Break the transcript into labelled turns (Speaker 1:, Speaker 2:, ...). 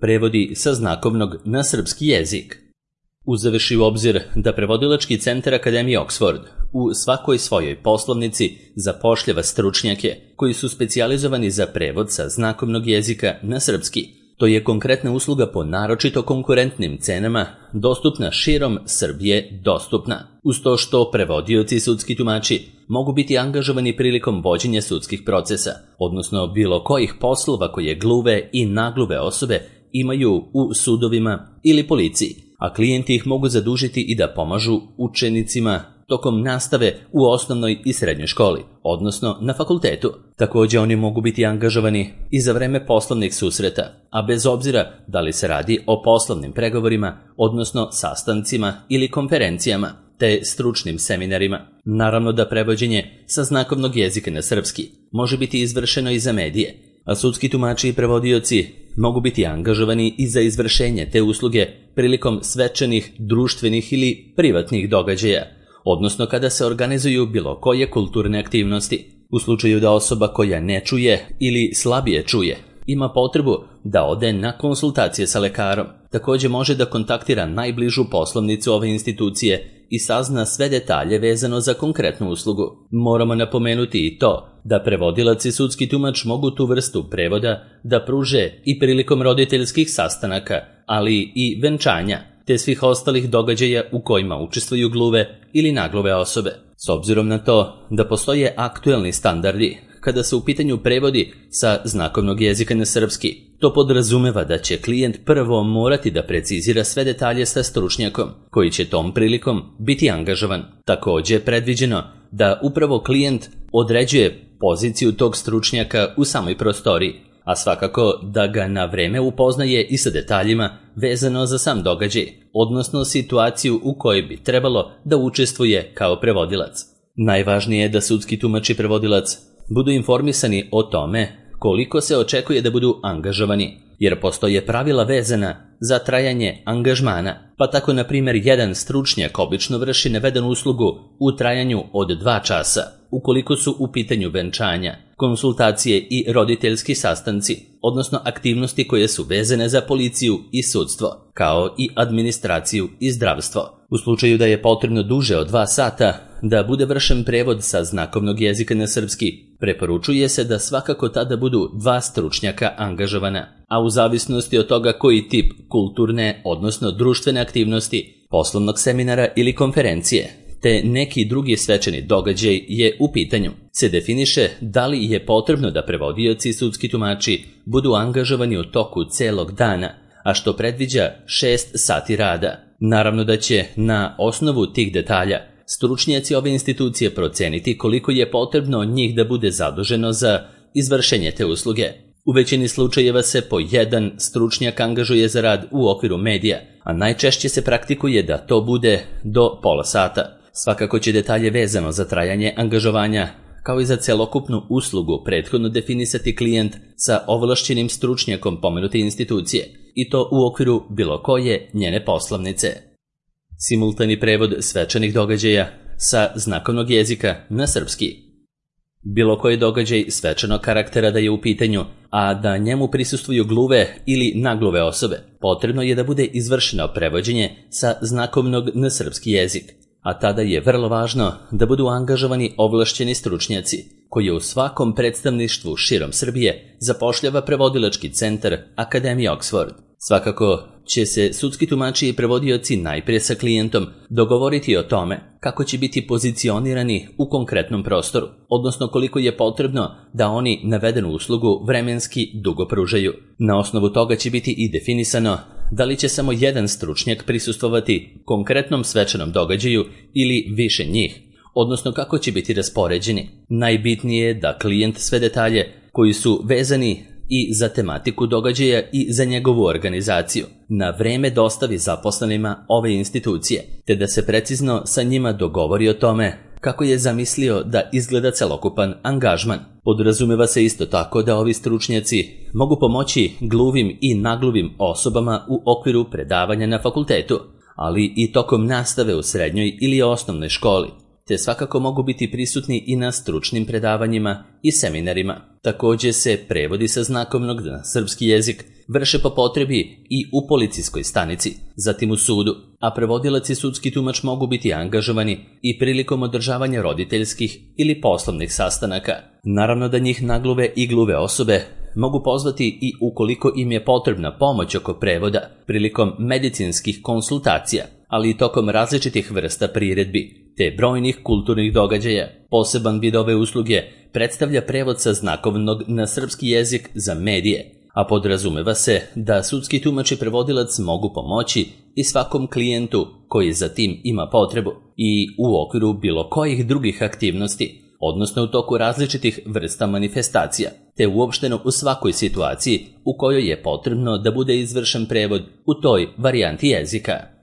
Speaker 1: Prevodi sa znakovnog na srpski jezik. Uzevši u obzir da prevodilački centar Akademije Oxford u svakoj svojoj poslovnici zapošljava stručnjake koji su specijalizovani za prevod sa znakovnog jezika na srpski, to je konkretna usluga po naročito konkurentnim cenama dostupna širom Srbije dostupna, uz to što prevodioci i sudski tumači mogu biti angažovani prilikom vođenja sudskih procesa, odnosno bilo kojih poslova koje gluve i nagluve osobe imaju u sudovima ili policiji, a klijenti ih mogu zadužiti i da pomažu učenicima tokom nastave u osnovnoj i srednjoj školi, odnosno na fakultetu. Također oni mogu biti angažovani i za vreme poslovnih susreta, a bez obzira da li se radi o poslovnim pregovorima, odnosno sastancima ili konferencijama, te stručnim seminarima. Naravno da prevođenje sa znakovnog jezika na srpski može biti izvršeno i za medije, a sudski tumači i prevodioci mogu biti angažovani i za izvršenje te usluge prilikom svečanih, društvenih ili privatnih događaja, odnosno kada se organizuju bilo koje kulturne aktivnosti. U slučaju da osoba koja ne čuje ili slabije čuje ima potrebu da ode na konsultacije sa lekarom, također može da kontaktira najbližu poslovnicu ove institucije i sazna sve detalje vezano za konkretnu uslugu. Moramo napomenuti i to da prevodilac i sudski tumač mogu tu vrstu prevoda da pruže i prilikom roditeljskih sastanaka, ali i venčanja, te svih ostalih događaja u kojima učestvuju gluve ili nagluve osobe. S obzirom na to da postoje aktuelni standardi kada se u pitanju prevodi sa znakovnog jezika na srpski, to podrazumeva da će klijent prvo morati da precizira sve detalje sa stručnjakom, koji će tom prilikom biti angažovan. Također je predviđeno da upravo klijent određuje poziciju tog stručnjaka u samoj prostoriji, a svakako da ga na vreme upoznaje i sa detaljima vezano za sam događaj, odnosno situaciju u kojoj bi trebalo da učestvuje kao prevodilac. Najvažnije je da sudski tumač i prevodilac budu informisani o tome koliko se očekuje da budu angažovani, jer postoje pravila vezana za trajanje angažmana, pa tako na primjer jedan stručnjak obično vrši navedenu uslugu u trajanju od 2 časa, ukoliko su u pitanju venčanja, konsultacije i roditeljski sastanci, odnosno aktivnosti koje su vezane za policiju i sudstvo, kao i administraciju i zdravstvo. U slučaju da je potrebno duže od 2 sata da bude vršen prevod sa znakovnog jezika na srpski, preporučuje se da svakako tada budu 2 stručnjaka angažovana, a u zavisnosti od toga koji tip kulturne, odnosno društvene aktivnosti, poslovnog seminara ili konferencije, te neki drugi svečani događaj je u pitanju, se definiše da li je potrebno da prevodioci i sudski tumači budu angažovani u toku celog dana, a što predviđa 6 sati rada. Naravno da će na osnovu tih detalja stručnjaci ove institucije proceniti koliko je potrebno njih da bude zaduženo za izvršenje te usluge. U većini slučajeva se po jedan stručnjak angažuje za rad u okviru medija, a najčešće se praktikuje da to bude do pola sata. Svakako će detalje vezano za trajanje angažovanja, kao i za celokupnu uslugu, prethodno definisati klijent sa ovlašćenim stručnjakom pomenute institucije, i to u okviru bilo koje njene poslovnice. Simultani prevod svečanih događaja sa znakovnog jezika na srpski. Bilo koji događaj svečanog karaktera da je u pitanju, a da njemu prisustvuju gluve ili nagluve osobe, potrebno je da bude izvršeno prevođenje sa znakovnog na srpski jezik, a tada je vrlo važno da budu angažovani ovlašćeni stručnjaci, koji u svakom predstavništvu širom Srbije zapošljava prevodilački centar Akademije Oxford. Svakako će se sudski tumači i prevodioci najprije sa klijentom dogovoriti o tome kako će biti pozicionirani u konkretnom prostoru, odnosno koliko je potrebno da oni navedenu uslugu vremenski dugo pružaju. Na osnovu toga će biti i definisano da li će samo jedan stručnjak prisustvovati konkretnom svečanom događaju ili više njih, odnosno kako će biti raspoređeni. Najbitnije je da klijent sve detalje koji su vezani i za tematiku događaja i za njegovu organizaciju na vreme dostavi zaposlenima ove institucije, te da se precizno sa njima dogovori o tome kako je zamislio da izgleda celokupan angažman. Podrazumeva se isto tako da ovi stručnjaci mogu pomoći gluvim i nagluvim osobama u okviru predavanja na fakultetu, ali i tokom nastave u srednjoj ili osnovnoj školi, te svakako mogu biti prisutni i na stručnim predavanjima i seminarima. Također se prevodi sa znakovnog na srpski jezik vrše po potrebi i u policijskoj stanici, zatim u sudu, a prevodilac i sudski tumač mogu biti angažovani i prilikom održavanja roditeljskih ili poslovnih sastanaka. Naravno da njih nagluve i gluve osobe mogu pozvati i ukoliko im je potrebna pomoć oko prevoda prilikom medicinskih konsultacija, ali i tokom različitih vrsta priredbi, te brojnih kulturnih događaja. Poseban vid ove usluge predstavlja prevod sa znakovnog na srpski jezik za medije, a podrazumeva se da sudski tumač i prevodilac mogu pomoći i svakom klijentu koji za tim ima potrebu i u okviru bilo kojih drugih aktivnosti, odnosno u toku različitih vrsta manifestacija, te uopšteno u svakoj situaciji u kojoj je potrebno da bude izvršen prevod u toj varijanti jezika.